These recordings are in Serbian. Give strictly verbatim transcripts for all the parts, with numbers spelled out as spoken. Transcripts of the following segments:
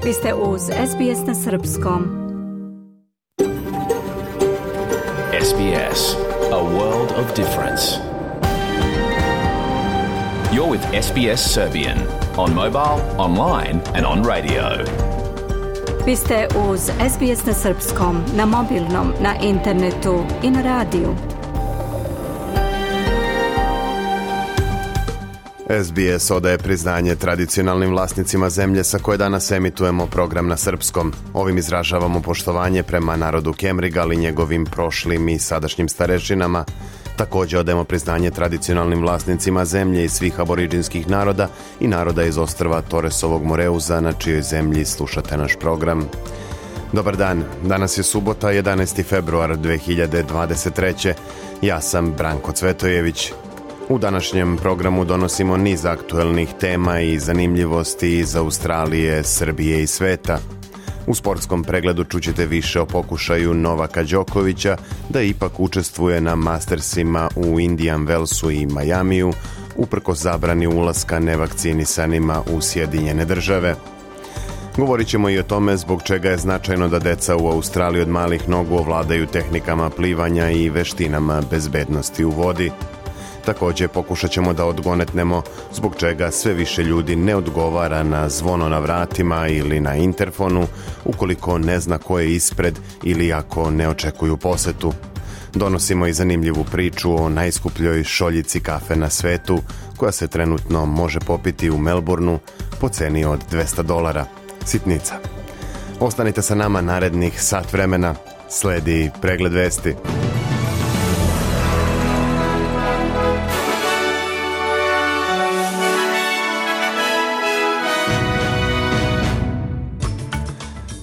Vi ste uz S B S na srpskom. S B S, a world of difference. You're with S B S Serbian on mobile, online and on radio. Vi ste uz S B S na srpskom, na mobilnom, na internetu i na radiju. S B S odaje priznanje tradicionalnim vlasnicima zemlje sa koje danas emitujemo program na srpskom. Ovim izražavamo poštovanje prema narodu Kemrigal i njegovim prošlim i sadašnjim starešinama. Također odajemo priznanje tradicionalnim vlasnicima zemlje i svih aboriđinskih naroda i naroda iz ostrva Torresovog Moreuza, na čijoj zemlji slušate naš program. Dobar dan, danas je subota, jedanaesti februar dve hiljade dvadeset treće. Ja sam Branko Cvetojević. U današnjem programu donosimo niz aktuelnih tema i zanimljivosti iz Australije, Srbije i sveta. U sportskom pregledu čućete više o pokušaju Novaka Đokovića da ipak učestvuje na Mastersima u Indian Wellsu i Majamiju, uprkos zabrani ulaska nevakcinisanima u Sjedinjene države. Govorit ćemo i o tome zbog čega je značajno da deca u Australiji od malih nogu ovladaju tehnikama plivanja i veštinama bezbednosti u vodi. Također pokušat ćemo da odgonetnemo zbog čega sve više ljudi ne odgovara na zvono na vratima ili na interfonu ukoliko ne zna ko je ispred ili ako ne očekuju posetu. Donosimo i zanimljivu priču o najskupljoj šoljici kafe na svetu koja se trenutno može popiti u Melbourneu po ceni od dvesta dolara. Sitnica. Ostanite sa nama narednih sat vremena. Sledi pregled vesti.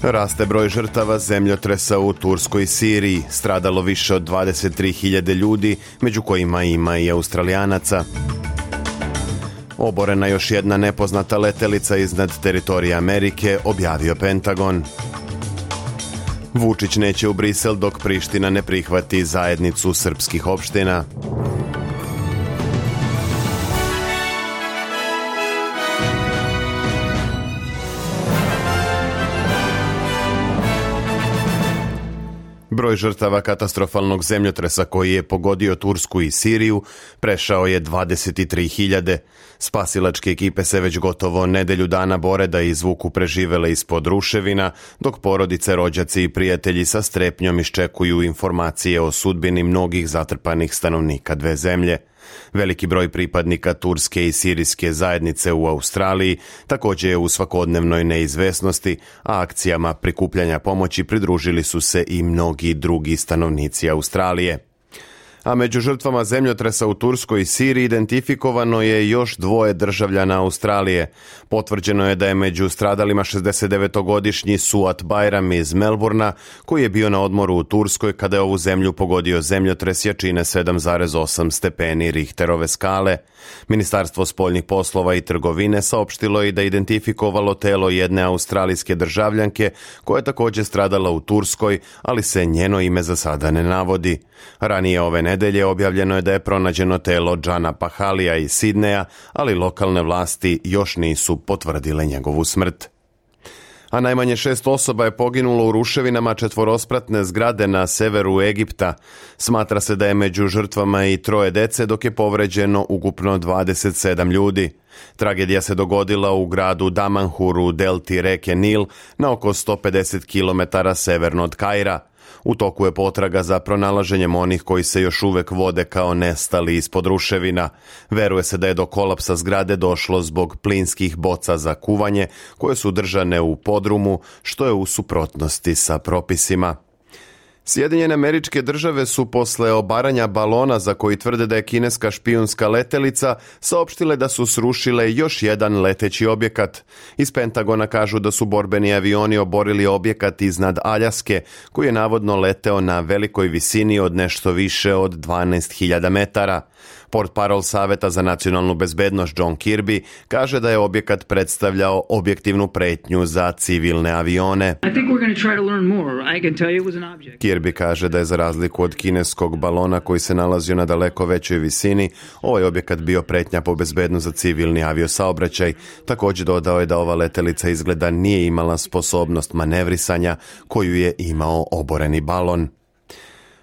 Raste broj žrtava zemljotresa u Turskoj i Siriji, stradalo više od dvadeset tri hiljade ljudi, među kojima ima i Australijanaca. Oborena još jedna nepoznata letelica iznad teritorija Amerike, objavio Pentagon. Vučić neće u Brisel dok Priština ne prihvati zajednicu srpskih opština. Broj žrtava katastrofalnog zemljotresa koji je pogodio Tursku i Siriju prešao je dvadeset tri hiljade. Spasilačke ekipe se već gotovo nedelju dana bore da izvuku preživele ispod ruševina, dok porodice, rođaci i prijatelji sa strepnjom iščekuju informacije o sudbini mnogih zatrpanih stanovnika dve zemlje. Veliki broj pripadnika turske i sirijske zajednice u Australiji također je u svakodnevnoj neizvesnosti, a akcijama prikupljanja pomoći pridružili su se i mnogi drugi stanovnici Australije. A među žrtvama zemljotresa u Turskoj i Siriji identifikovano je još dvoje državljana Australije. Potvrđeno je da je među stradalima šezdesetdevetogodišnji Suat Bayram iz Melbourna, koji je bio na odmoru u Turskoj kada je ovu zemlju pogodio zemljotres jačine sedam zarez osam stepeni Richterove skale. Ministarstvo spoljnih poslova i trgovine saopštilo je da je identifikovalo telo jedne australijske državljanke koja je također stradala u Turskoj, ali se njeno ime za sada ne navodi. Ranije ove nedelje objavljeno je da je pronađeno telo Džana Pahalija iz Sidneja, ali lokalne vlasti još nisu potvrdile njegovu smrt. A najmanje šest osoba je poginulo u ruševinama četvorospratne zgrade na severu Egipta. Smatra se da je među žrtvama i troje dece, dok je povređeno ukupno dvadeset sedam ljudi. Tragedija se dogodila u gradu Damanhur u delti reke Nil na oko sto pedeset kilometara severno od Kaira. U toku je potraga za pronalaženjem onih koji se još uvek vode kao nestali ispod ruševina. Veruje se da je do kolapsa zgrade došlo zbog plinskih boca za kuvanje koje su držane u podrumu, što je u suprotnosti sa propisima. Sjedinjene Američke Države su posle obaranja balona za koji tvrde da je kineska špijunska letelica saopštile da su srušile još jedan leteći objekat. Iz Pentagona kažu da su borbeni avioni oborili objekat iznad Aljaske koji je navodno leteo na velikoj visini od nešto više od dvanaest hiljada metara. Portparol Saveta za nacionalnu bezbednost John Kirby kaže da je objekat predstavljao objektivnu pretnju za civilne avione. Kirby kaže da je za razliku od kineskog balona koji se nalazio na daleko većoj visini, ovaj objekat bio pretnja po bezbednost za civilni aviosaobraćaj. Također dodao je da ova letelica izgleda nije imala sposobnost manevrisanja koju je imao oboreni balon.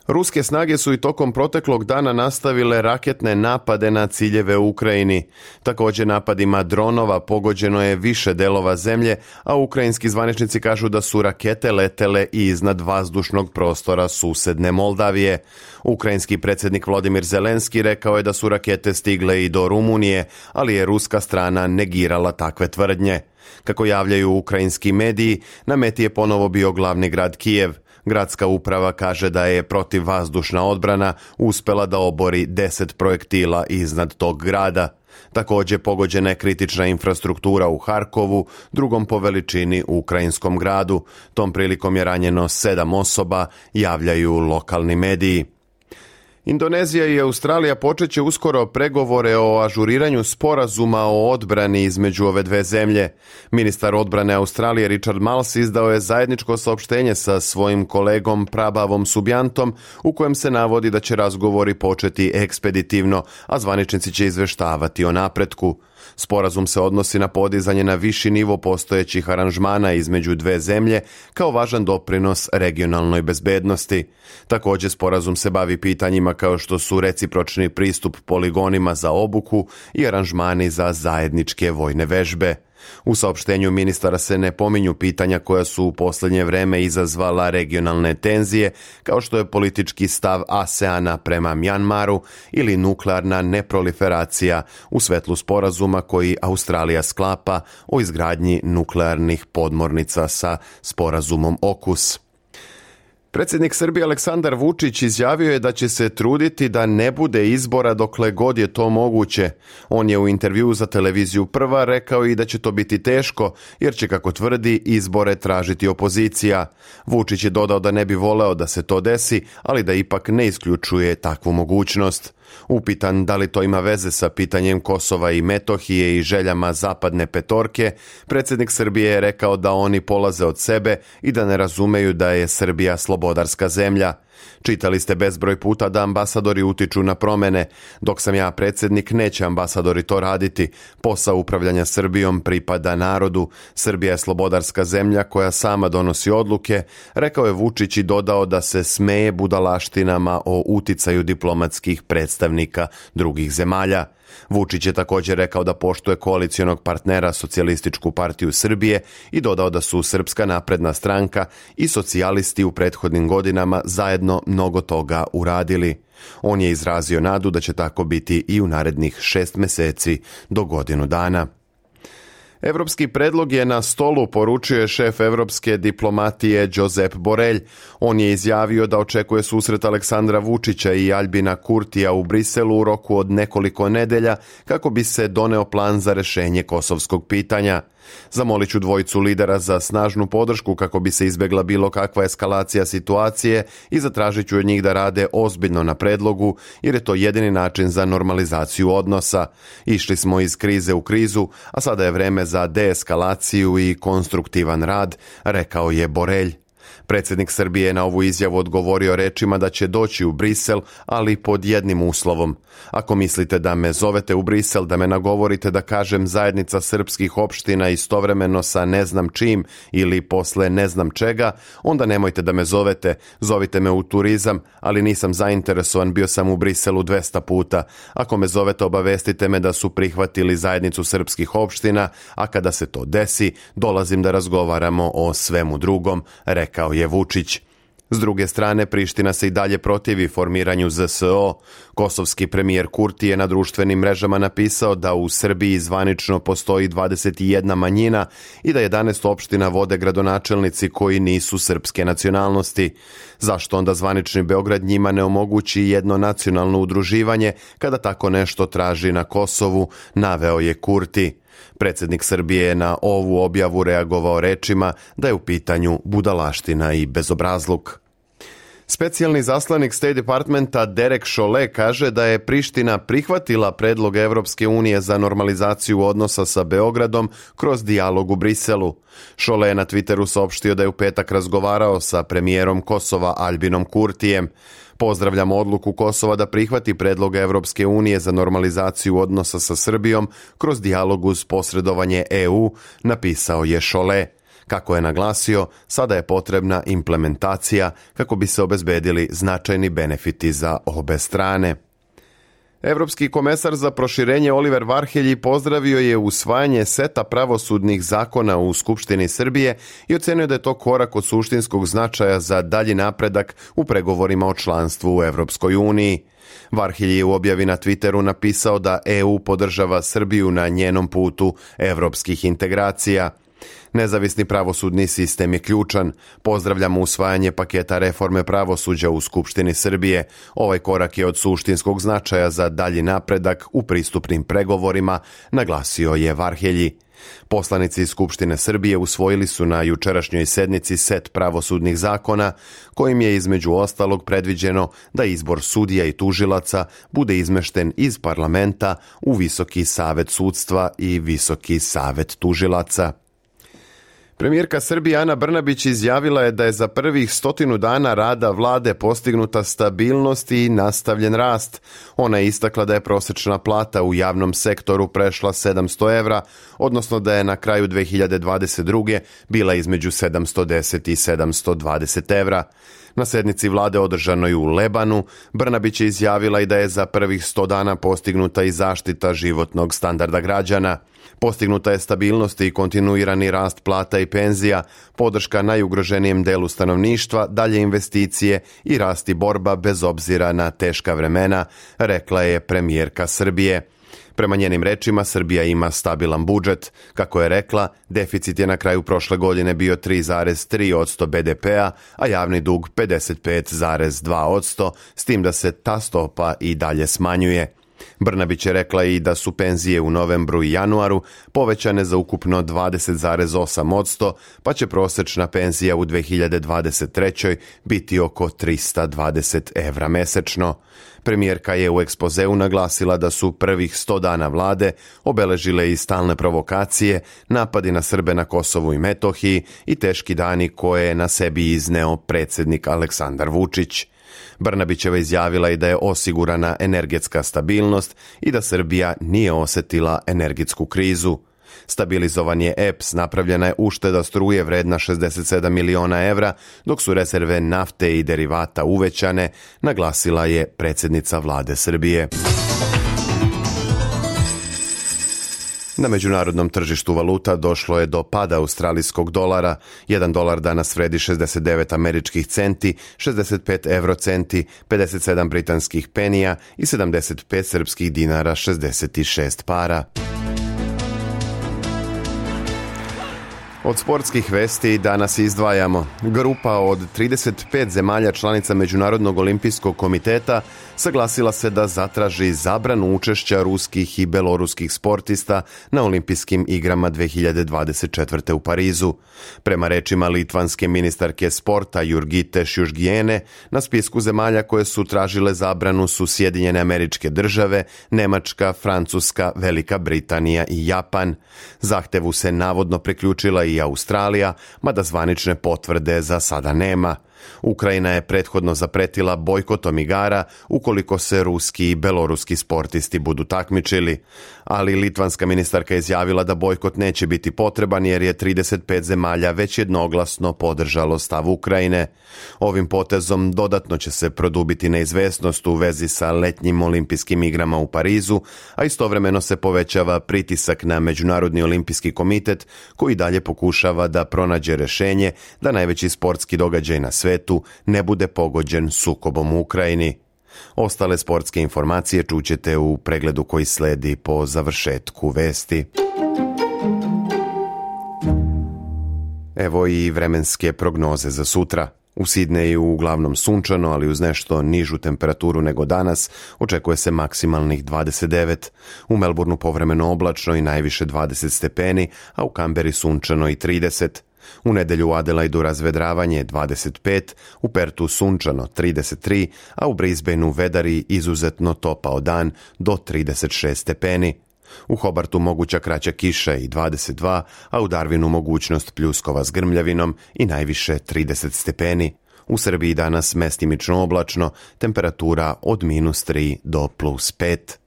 Ruske snage su i tokom proteklog dana nastavile raketne napade na ciljeve u Ukrajini. Također napadima dronova pogođeno je više delova zemlje, a ukrajinski zvaničnici kažu da su rakete letele i iznad vazdušnog prostora susedne Moldavije. Ukrajinski predsjednik Volodymyr Zelenski rekao je da su rakete stigle i do Rumunije, ali je ruska strana negirala takve tvrdnje. Kako javljaju ukrajinski mediji, na meti je ponovo bio glavni grad Kijev. Gradska uprava kaže da je protivvazdušna odbrana uspjela da obori deset projektila iznad tog grada. Također pogođena je kritična infrastruktura u Harkovu, drugom po veličini u ukrajinskom gradu. Tom prilikom je ranjeno sedam osoba, javljaju lokalni mediji. Indonezija i Australija počet će uskoro pregovore o ažuriranju sporazuma o odbrani između ove dve zemlje. Ministar odbrane Australije Richard Marles izdao je zajedničko saopštenje sa svojim kolegom Prabavom Subiantom u kojem se navodi da će razgovori početi ekspeditivno, a zvaničnici će izveštavati o napretku. Sporazum se odnosi na podizanje na viši nivo postojećih aranžmana između dve zemlje kao važan doprinos regionalnoj bezbednosti. Također sporazum se bavi pitanjima kao što su recipročni pristup poligonima za obuku i aranžmani za zajedničke vojne vežbe. U saopštenju ministara se ne pominju pitanja koja su u posljednje vreme izazvala regionalne tenzije, kao što je politički stav ASEANA prema Mjanmaru ili nuklearna neproliferacija u svetlu sporazuma koji Australija sklapa o izgradnji nuklearnih podmornica sa sporazumom OKUS. Predsjednik Srbije Aleksandar Vučić izjavio je da će se truditi da ne bude izbora dokle god je to moguće. On je u intervjuu za televiziju Prva rekao i da će to biti teško, jer će, kako tvrdi, izbore tražiti opozicija. Vučić je dodao da ne bi voleo da se to desi, ali da ipak ne isključuje takvu mogućnost. Upitan da li to ima veze sa pitanjem Kosova i Metohije i željama zapadne petorke, predsjednik Srbije je rekao da oni polaze od sebe i da ne razumeju da je Srbija slobodarska zemlja. Čitali ste bezbroj puta da ambasadori utiču na promjene. Dok sam ja predsjednik, neće ambasadori to raditi. Posao upravljanja Srbijom pripada narodu. Srbija je slobodarska zemlja koja sama donosi odluke, rekao je Vučić i dodao da se smeje budalaštinama o uticaju diplomatskih predstavnika drugih zemalja. Vučić je također rekao da poštuje koalicijonog partnera Socijalističku partiju Srbije i dodao da su Srpska napredna stranka i socijalisti u prethodnim godinama zajedno mnogo toga uradili. On je izrazio nadu da će tako biti i u narednih šest mjeseci do godinu dana. Evropski predlog je na stolu, poručio je šef evropske diplomatije Josep Borrell. On je izjavio da očekuje susret Aleksandra Vučića i Albina Kurtija u Briselu u roku od nekoliko nedelja kako bi se doneo plan za rješenje kosovskog pitanja. Zamolit ću dvojicu lidera za snažnu podršku kako bi se izbjegla bilo kakva eskalacija situacije i zatražit ću od njih da rade ozbiljno na predlogu, jer je to jedini način za normalizaciju odnosa. Išli smo iz krize u krizu, a sada je vreme za deeskalaciju i konstruktivan rad, rekao je Borrell. Predsjednik Srbije je na ovu izjavu odgovorio rečima da će doći u Brisel, ali pod jednim uslovom. Ako mislite da me zovete u Brisel, da me nagovorite da kažem zajednica srpskih opština istovremeno sa ne znam čim ili posle ne znam čega, onda nemojte da me zovete, zovite me u turizam, ali nisam zainteresovan, bio sam u Briselu dvesta puta. Ako me zovete, obavestite me da su prihvatili zajednicu srpskih opština, a kada se to desi, dolazim da razgovaramo o svemu drugom, rekao je Vučić. S druge strane, Priština se i dalje protivi formiranju Z S O. Kosovski premijer Kurti je na društvenim mrežama napisao da u Srbiji zvanično postoji dvadeset jedna manjina i da jedanaest opština vode gradonačelnici koji nisu srpske nacionalnosti. Zašto onda zvanični Beograd njima ne omogući jedno nacionalno udruživanje kada tako nešto traži na Kosovu, naveo je Kurti. Predsjednik Srbije je na ovu objavu reagovao rečima da je u pitanju budalaština i bezobrazluk. Specijalni zaslanik State Departmenta Derek Chollet kaže da je Priština prihvatila predlog Evropske unije za normalizaciju odnosa sa Beogradom kroz dijalog u Briselu. Chollet je na Twitteru saopštio da je u petak razgovarao sa premijerom Kosova Albinom Kurtijem. Pozdravljamo odluku Kosova da prihvati predlog Evropske unije za normalizaciju odnosa sa Srbijom kroz dijalog uz posredovanje E U, napisao je Chollet. Kako je naglasio, sada je potrebna implementacija kako bi se obezbedili značajni benefiti za obe strane. Evropski komesar za proširenje Oliver Varhelji pozdravio je usvajanje seta pravosudnih zakona u Skupštini Srbije i ocenio da je to korak od suštinskog značaja za dalji napredak u pregovorima o članstvu u Evropskoj uniji. Varhelji je u objavi na Twitteru napisao da E U podržava Srbiju na njenom putu evropskih integracija. Nezavisni pravosudni sistem je ključan. Pozdravljamo usvajanje paketa reforme pravosuđa u Skupštini Srbije. Ovaj korak je od suštinskog značaja za dalji napredak u pristupnim pregovorima, naglasio je Varhelji. Poslanici Skupštine Srbije usvojili su na jučerašnjoj sednici set pravosudnih zakona, kojim je između ostalog predviđeno da izbor sudija i tužilaca bude izmešten iz parlamenta u Visoki savet sudstva i Visoki savet tužilaca. Premijerka Srbije Ana Brnabić izjavila je da je za prvih stotinu dana rada vlade postignuta stabilnost i nastavljen rast. Ona je istakla da je prosečna plata u javnom sektoru prešla sedamsto evra, odnosno da je na kraju dve hiljade dvadeset druge bila između sedamsto deset i sedamsto dvadeset evra. Na sednici vlade održanoj u Lebanu, Brnabić je izjavila i da je za prvih sto dana postignuta i zaštita životnog standarda građana. Postignuta je stabilnost i kontinuirani rast plata i penzija, podrška najugroženijem delu stanovništva, dalje investicije i rast i borba bez obzira na teška vremena, rekla je premijerka Srbije. Prema njenim rečima, Srbija ima stabilan budžet. Kako je rekla, deficit je na kraju prošle godine bio tri zarez tri posto be de pea, a javni dug pedeset pet zarez dva posto, s tim da se ta stopa i dalje smanjuje. Brnabić je rekla i da su penzije u novembru i januaru povećane za ukupno dvadeset zarez osam posto, pa će prosečna penzija u dve hiljade dvadeset trećoj biti oko trista dvadeset evra mesečno. Premijerka je u ekspozeu naglasila da su prvih sto dana vlade obeležile i stalne provokacije, napadi na Srbe na Kosovu i Metohiji i teški dani koje je na sebi izneo predsjednik Aleksandar Vučić. Brnabićeva izjavila i da je osigurana energetska stabilnost i da Srbija nije osetila energetsku krizu. Stabilizovan je E P S, napravljena je ušteda struje vredna šezdeset sedam miliona evra, dok su rezerve nafte i derivata uvećane, naglasila je predsjednica vlade Srbije. Na međunarodnom tržištu valuta došlo je do pada australijskog dolara. Jedan dolar danas vredi šezdeset devet američkih centi, šezdeset pet evrocenti, pedeset sedam britanskih penija i sedamdeset pet srpskih dinara šezdeset šest para. Od sportskih vesti danas izdvajamo. Grupa od trideset pet zemalja članica Međunarodnog olimpijskog komiteta saglasila se da zatraži zabranu učešća ruskih i beloruskih sportista na olimpijskim igrama dve hiljade dvadeset četvrte u Parizu. Prema rečima litvanske ministarke sporta Jurgite Šiušgijene, na spisku zemalja koje su tražile zabranu su Sjedinjene Američke Države, Nemačka, Francuska, Velika Britanija i Japan. Zahtevu se navodno priključila i Australija, mada zvanične potvrde za sada nema. Ukrajina je prethodno zapretila bojkotom igara ukoliko se ruski i beloruski sportisti budu takmičili, ali litvanska ministarka je izjavila da bojkot neće biti potreban jer je trideset pet zemalja već jednoglasno podržalo stav Ukrajine. Ovim potezom dodatno će se produbiti neizvesnost u vezi sa letnjim olimpijskim igrama u Parizu, a istovremeno se povećava pritisak na Međunarodni olimpijski komitet koji dalje pokušava da pronađe rešenje da najveći sportski događaj na svetu ne bude pogođen sukobom u Ukrajini. Ostale sportske informacije čućete u pregledu koji sledi po završetku vesti. Evo i vremenske prognoze za sutra. U Sidneju uglavnom sunčano, ali uz nešto nižu temperaturu nego danas, očekuje se maksimalnih dvadeset devet. U Melbourneu povremeno oblačno i najviše dvadeset stepeni, a u Kamberi sunčano i trideset. U nedjelju u Adelaidu razvedravanje dvadeset pet, u Pertu sunčano trideset tri, a u Brisbaneu vedari izuzetno topao dan do trideset šest stepeni. U Hobartu moguća kraća kiša i dvadeset dva, a u Darwinu mogućnost pljuskova s grmljavinom i najviše trideset stepeni. U Srbiji danas mestimično oblačno, temperatura od minus tri do plus pet.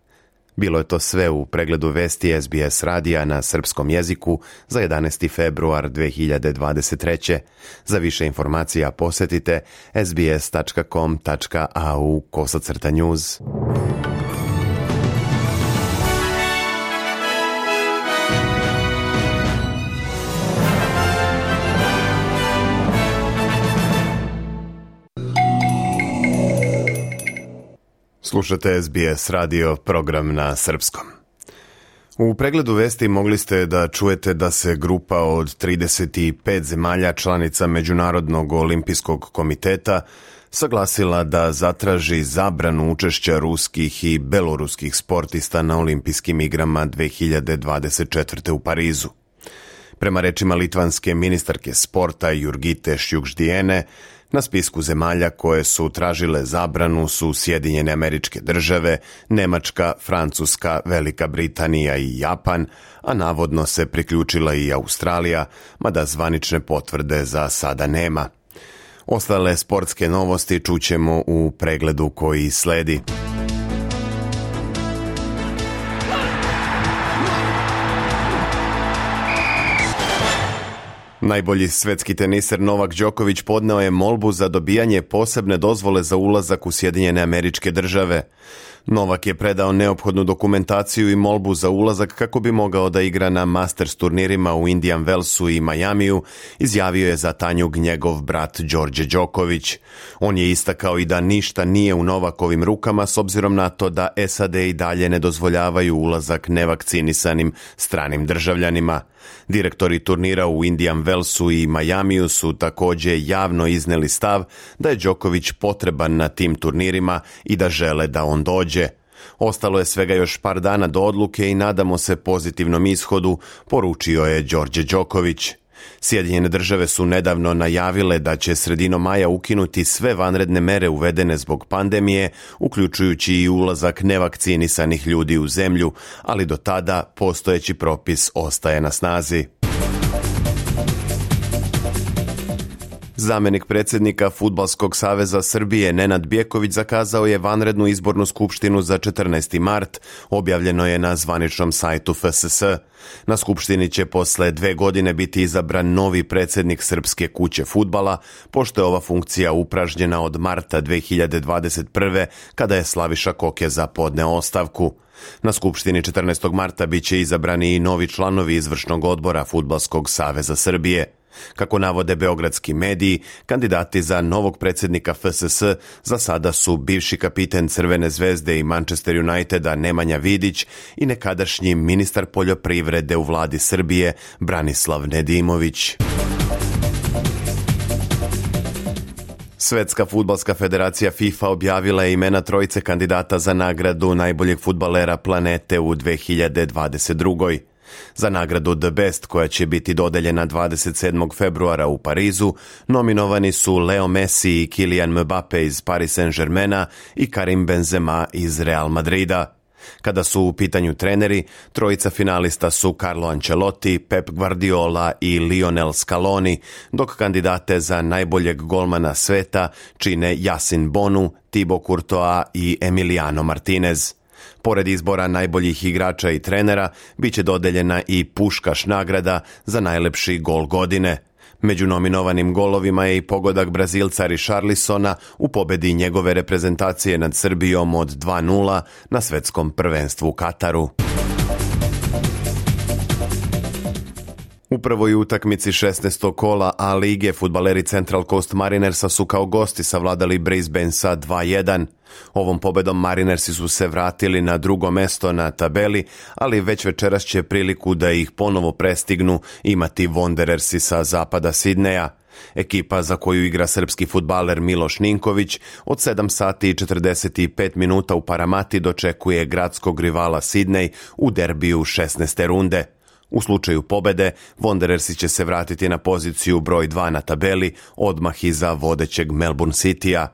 Bilo je to sve u pregledu vesti S B S radija na srpskom jeziku za jedanaesti februar dve hiljade dvadeset treće. Za više informacija posjetite sbs.com.au kosacrta news. Slušate S B S radio, program na srpskom. U pregledu vesti mogli ste da čujete da se grupa od trideset pet zemalja članica Međunarodnog olimpijskog komiteta saglasila da zatraži zabranu učešća ruskih i beloruskih sportista na olimpijskim igrama dve hiljade dvadeset četvrte. u Parizu. Prema rečima litvanske ministarke sporta Jurgite Šjukždijene, na spisku zemalja koje su tražile zabranu su Sjedinjene Američke Države, Nemačka, Francuska, Velika Britanija i Japan, a navodno se priključila i Australija, mada zvanične potvrde za sada nema. Ostale sportske novosti čućemo u pregledu koji sledi. Najbolji svetski teniser Novak Đoković podneo je molbu za dobijanje posebne dozvole za ulazak u Sjedinjene Američke Države. Novak je predao neophodnu dokumentaciju i molbu za ulazak kako bi mogao da igra na Masters turnirima u Indian Wellsu i Majamiju, izjavio je za Tanjug njegov brat Đorđe Đoković. On je istakao i da ništa nije u Novakovim rukama s obzirom na to da S A D i dalje ne dozvoljavaju ulazak nevakcinisanim stranim državljanima. Direktori turnira u Indian Wellsu i Majamiju su također javno izneli stav da je Đoković potreban na tim turnirima i da žele da on dođe. Ostalo je svega još par dana do odluke i nadamo se pozitivnom ishodu, poručio je Đorđe Đoković. Sjedinjene države su nedavno najavile da će sredinom maja ukinuti sve vanredne mere uvedene zbog pandemije, uključujući i ulazak nevakcinisanih ljudi u zemlju, ali do tada postojeći propis ostaje na snazi. Zamenik predsjednika Fudbalskog saveza Srbije Nenad Bjeković zakazao je vanrednu izbornu skupštinu za četrnaesti mart, objavljeno je na zvaničnom sajtu F S S. Na skupštini će posle dve godine biti izabran novi predsjednik Srpske kuće fudbala, pošto je ova funkcija upražnjena od marta dve hiljade dvadeset prve. kada je Slaviša Kokeza podneo ostavku. Na skupštini četrnaestog marta bit će izabrani i novi članovi izvršnog odbora Fudbalskog saveza Srbije. Kako navode beogradski mediji, kandidati za novog predsjednika F S S za sada su bivši kapiten Crvene zvezde i Manchester Uniteda Nemanja Vidić i nekadašnji ministar poljoprivrede u vladi Srbije Branislav Nedimović. Svetska fudbalska federacija FIFA objavila je imena trojice kandidata za nagradu najboljeg fudbalera planete u dve hiljade dvadeset druge. Za nagradu The Best, koja će biti dodeljena dvadeset sedmog februara u Parizu, nominovani su Leo Messi i Kylian Mbappe iz Paris Saint-Germaina i Karim Benzema iz Real Madrida. Kada su u pitanju treneri, trojica finalista su Carlo Ancelotti, Pep Guardiola i Lionel Scaloni, dok kandidate za najboljeg golmana sveta čine Yasin Bonu, Thibaut Courtois i Emiliano Martinez. Pored izbora najboljih igrača i trenera, bit će dodeljena i Puškaš nagrada za najlepši gol godine. Među nominovanim golovima je i pogodak Brazilca Richarlisona u pobedi njegove reprezentacije nad Srbijom od dva nula na svetskom prvenstvu u Kataru. U prvoj utakmici šesnaestog kola A lige fudbaleri Central Coast Marinersa su kao gosti savladali Brisbane sa dva jedan. Ovom pobedom Marinersi su se vratili na drugo mesto na tabeli, ali već večeras će priliku da ih ponovo prestignu imati Wanderersi sa zapada Sidneja. Ekipa za koju igra srpski fudbaler Miloš Ninković od sedam sati i četrdeset pet minuta u Paramati dočekuje gradskog rivala Sidnej u derbiju šesnaeste runde. U slučaju pobede, Wanderersi će se vratiti na poziciju broj dva na tabeli, odmah iza vodećeg Melbourne Citya.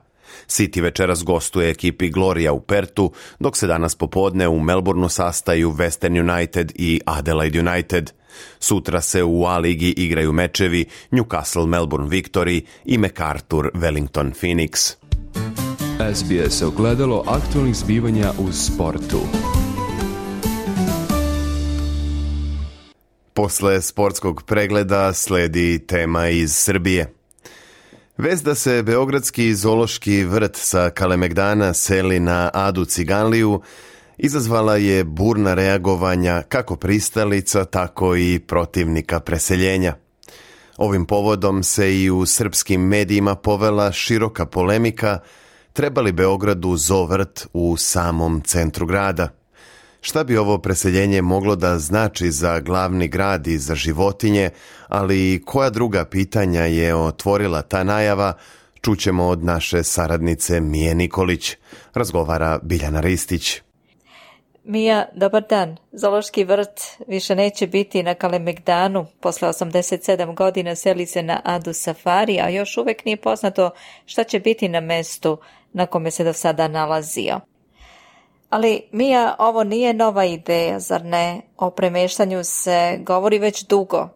City večeras gostuje ekipi Gloria u Pertu, dok se danas popodne u Melbourneu sastaju Western United i Adelaide United. Sutra se u A-ligi igraju mečevi Newcastle Melbourne Victory i MacArthur Wellington Phoenix. S B S ogledalo aktualnih zbivanja u sportu. Posle sportskog pregleda sledi tema iz Srbije. Vest da se Beogradski zoološki vrt sa Kalemegdana seli na Adu Ciganliju izazvala je burna reagovanja kako pristalica, tako i protivnika preseljenja. Ovim povodom se i u srpskim medijima povela široka polemika treba li Beogradu zoovrt u samom centru grada. Šta bi ovo preseljenje moglo da znači za glavni grad i za životinje, ali i koja druga pitanja je otvorila ta najava, čućemo od naše saradnice Mije Nikolić. Razgovara Biljana Ristić. Mija, dobar dan. Zoološki vrt više neće biti na Kalemegdanu. Posle osamdeset sedam godina seli se na Adu Safari, a još uvek nije poznato šta će biti na mestu na kome se do sada nalazio. Ali, Mija, ovo nije nova ideja, zar ne? O premeštanju se govori već dugo.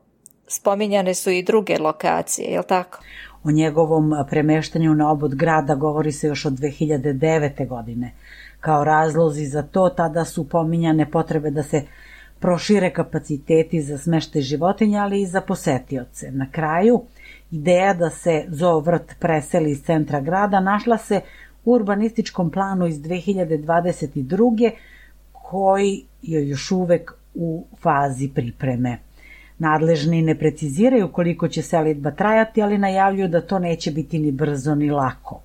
Spominjane su i druge lokacije, je li tako? O njegovom premeštanju na obod grada govori se još od dve hiljade devete. godine. Kao razlozi za to tada su pominjane potrebe da se prošire kapaciteti za smeštaj životinja, ali i za posetioce. Na kraju, ideja da se zoovrt preseli iz centra grada našla se u urbanističkom planu iz dve hiljade dvadeset druge. koji je još uvek u fazi pripreme. Nadležni ne preciziraju koliko će selidba trajati, ali najavljuju da to neće biti ni brzo ni lako.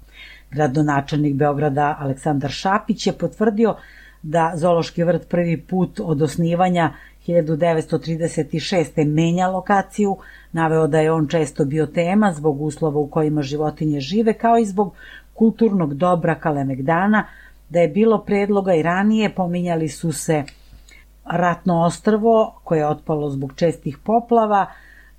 Gradonačelnik Beograda Aleksandar Šapić je potvrdio da zoološki vrt prvi put od osnivanja hiljadu devetsto trideset šeste. menja lokaciju, naveo da je on često bio tema zbog uslova u kojima životinje žive, kao i zbog kulturnog dobra Kalemegdana, da je bilo predloga i ranije, pominjali su se Ratno ostrvo koje je otpalo zbog čestih poplava,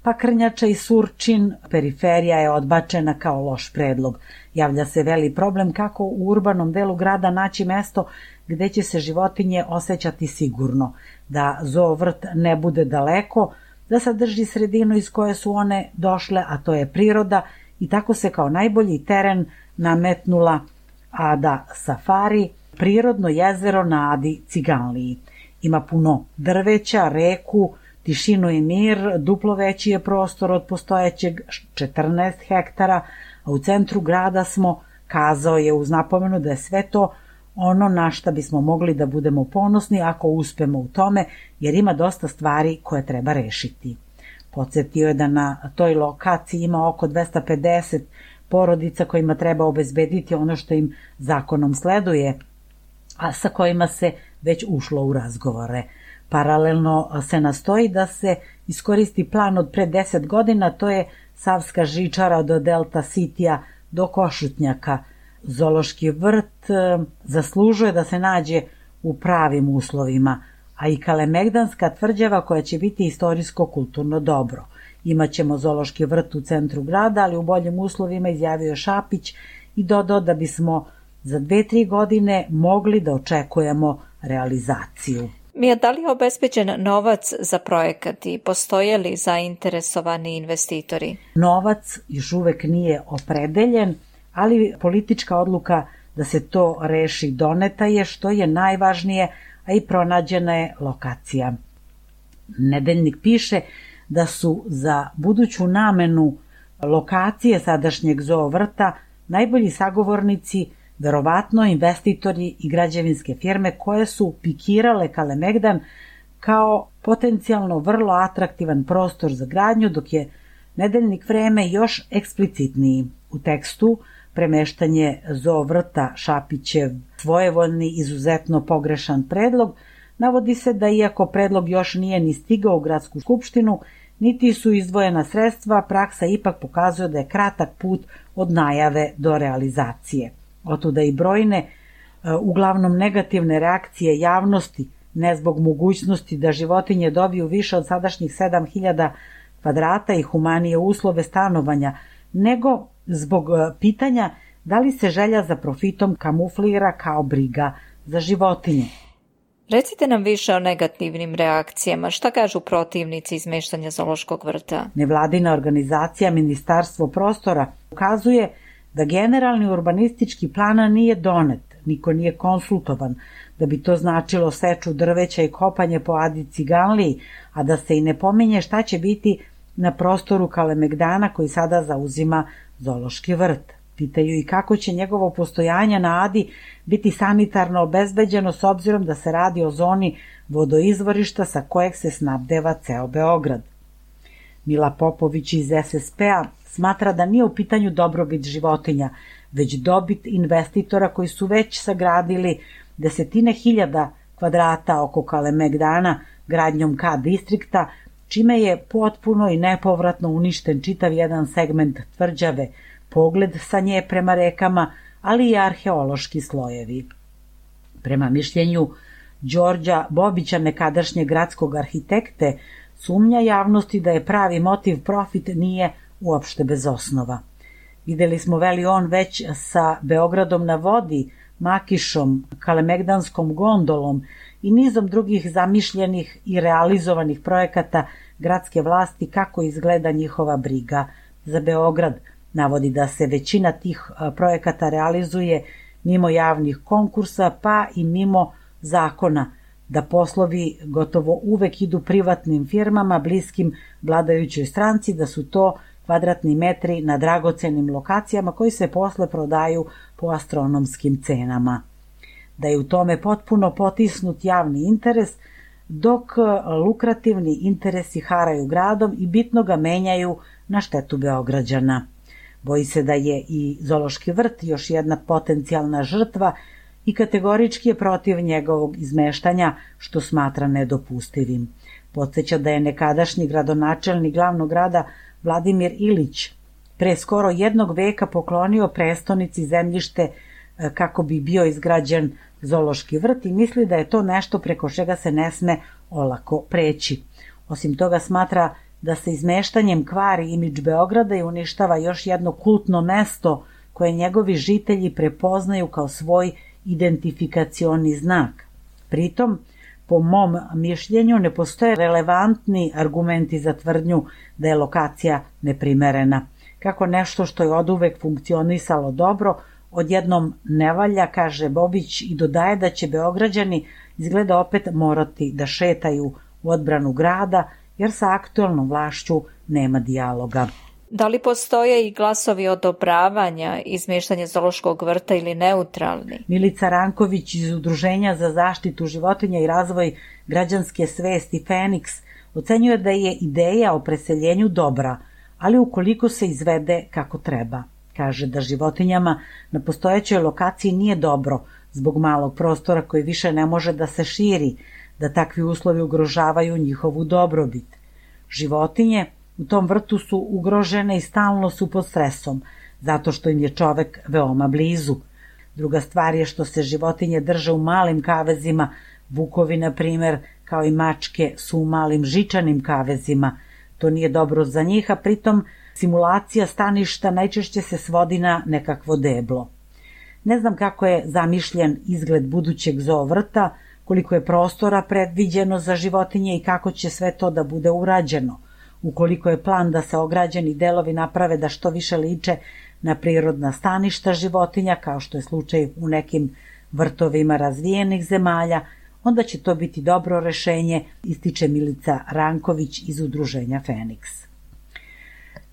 pa Krnjača i Surčin, periferija je odbačena kao loš predlog. Javlja se veli problem kako u urbanom delu grada naći mesto gde će se životinje osjećati sigurno, da zoovrt ne bude daleko, da sadrži sredinu iz koje su one došle, a to je priroda, i tako se kao najbolji teren nametnula Ada Safari, prirodno jezero na Adi Ciganliji. Ima puno drveća, reku, tišinu i mir, duplo veći je prostor od postojećeg četrnaest hektara, a u centru grada smo, kazao je uz napomenu da je sve to ono na šta bismo mogli da budemo ponosni ako uspemo u tome, jer ima dosta stvari koje treba rešiti. Podsjetio je da na toj lokaciji ima oko dvesta pedeset porodica kojima treba obezbediti ono što im zakonom sleduje, a sa kojima se već ušlo u razgovore. Paralelno se nastoji da se iskoristi plan od pre deset godina, to je Savska žičara od Delta Citya do Košutnjaka. Zoološki vrt zaslužuje da se nađe u pravim uslovima, a i Kalemegdanska tvrđava koja će biti istorijsko-kulturno dobro. Imaćemo zoološki vrt u centru grada, ali u boljim uslovima, izjavio Šapić i dodao da bismo za dve, tri godine mogli da očekujemo realizaciju. Mija, da li je obezbeđen novac za projekat i postoje li zainteresovani investitori? Novac još uvek nije opredeljen, ali politička odluka da se to reši doneta je, što je najvažnije, a i pronađena je lokacija. Nedeljnik piše da su za buduću namenu lokacije sadašnjeg zoovrta najbolji sagovornici verovatno investitori i građevinske firme koje su pikirale Kalemegdan kao potencijalno vrlo atraktivan prostor za gradnju, dok je nedeljnik Vreme još eksplicitniji. U tekstu premeštanje zoovrta Šapićev svojevoljni izuzetno pogrešan predlog, navodi se da iako predlog još nije ni stigao u gradsku skupštinu, niti su izdvojena sredstva, praksa ipak pokazuje da je kratak put od najave do realizacije. Otuda i brojne, uglavnom negativne reakcije javnosti ne zbog mogućnosti da životinje dobiju više od sadašnjih sedam hiljada kvadrata i humanije uslove stanovanja, nego zbog pitanja da li se želja za profitom kamuflira kao briga za životinje. Recite nam više o negativnim reakcijama. Šta kažu protivnici izmeštanja zoološkog vrta? Nevladina organizacija Ministarstvo prostora ukazuje da generalni urbanistički plan nije donet, niko nije konsultovan, da bi to značilo seču drveća i kopanje po Adi Ciganliji, a da se i ne pominje šta će biti na prostoru Kalemegdana koji sada zauzima zoološki vrt. Pitaju i kako će njegovo postojanje na Adi biti sanitarno obezbeđeno s obzirom da se radi o zoni vodoizvorišta sa kojeg se snabdeva ceo Beograd. Mila Popović iz es es pe-a smatra da nije u pitanju dobrobit životinja, već dobit investitora koji su već sagradili desetine hiljada kvadrata oko Kalemegdana gradnjom K distrikta, čime je potpuno i nepovratno uništen čitav jedan segment tvrđave, pogled sa nje prema rekama, ali i arheološki slojevi. Prema mišljenju Đorđa Bobića, nekadašnjeg gradskog arhitekte, sumnja javnosti da je pravi motiv profit nije uopšte bez osnova. Videli smo, veli on, već sa Beogradom na vodi, Makišom, Kalemegdanskom gondolom i nizom drugih zamišljenih i realizovanih projekata gradske vlasti kako izgleda njihova briga za Beograd. Navodi da se većina tih projekata realizuje mimo javnih konkursa pa i mimo zakona, da poslovi gotovo uvek idu privatnim firmama bliskim vladajućoj stranci, da su to kvadratni metri na dragocenim lokacijama koji se posle prodaju po astronomskim cenama. Da je u tome potpuno potisnut javni interes, dok lukrativni interesi haraju gradom i bitno ga menjaju na štetu Beograđana. Boji se da je i zoološki vrt još jedna potencijalna žrtva i kategorički je protiv njegovog izmeštanja, što smatra nedopustivim. Podseća da je nekadašnji gradonačelnik glavnog grada Vladimir Ilić pre skoro jednog veka poklonio prestonici zemljište kako bi bio izgrađen zoološki vrt i misli da je to nešto preko čega se ne sme olako preći. Osim toga smatra da se izmeštanjem kvari imidž Beograda i uništava još jedno kultno mesto koje njegovi žitelji prepoznaju kao svoj identifikacioni znak. Pritom, po mom mišljenju, ne postoje relevantni argumenti za tvrdnju da je lokacija neprimerena. Kako nešto što je oduvek funkcionisalo dobro, odjednom ne valja, kaže Bobić i dodaje da će Beograđani izgleda opet morati da šetaju u odbranu grada, jer sa aktuelnom vlašću nema dijaloga. Da li postoje i glasovi odobravanja izmeštanja zoološkog vrta ili neutralni? Milica Ranković iz Udruženja za zaštitu životinja i razvoj građanske svesti Feniks ocenjuje da je ideja o preseljenju dobra, ali ukoliko se izvede kako treba. Kaže da životinjama na postojećoj lokaciji nije dobro zbog malog prostora koji više ne može da se širi, da takvi uslovi ugrožavaju njihovu dobrobit. Životinje u tom vrtu su ugrožene i stalno su pod stresom, zato što im je čovek veoma blizu. Druga stvar je što se životinje drže u malim kavezima, vukovi, na primer, kao i mačke, su u malim žičanim kavezima. To nije dobro za njih, a pritom simulacija staništa najčešće se svodi na nekakvo deblo. Ne znam kako je zamišljen izgled budućeg zoovrta, koliko je prostora predviđeno za životinje i kako će sve to da bude urađeno. Ukoliko je plan da se ograđeni delovi naprave da što više liče na prirodna staništa životinja, kao što je slučaj u nekim vrtovima razvijenih zemalja, onda će to biti dobro rešenje, ističe Milica Ranković iz Udruženja Feniks.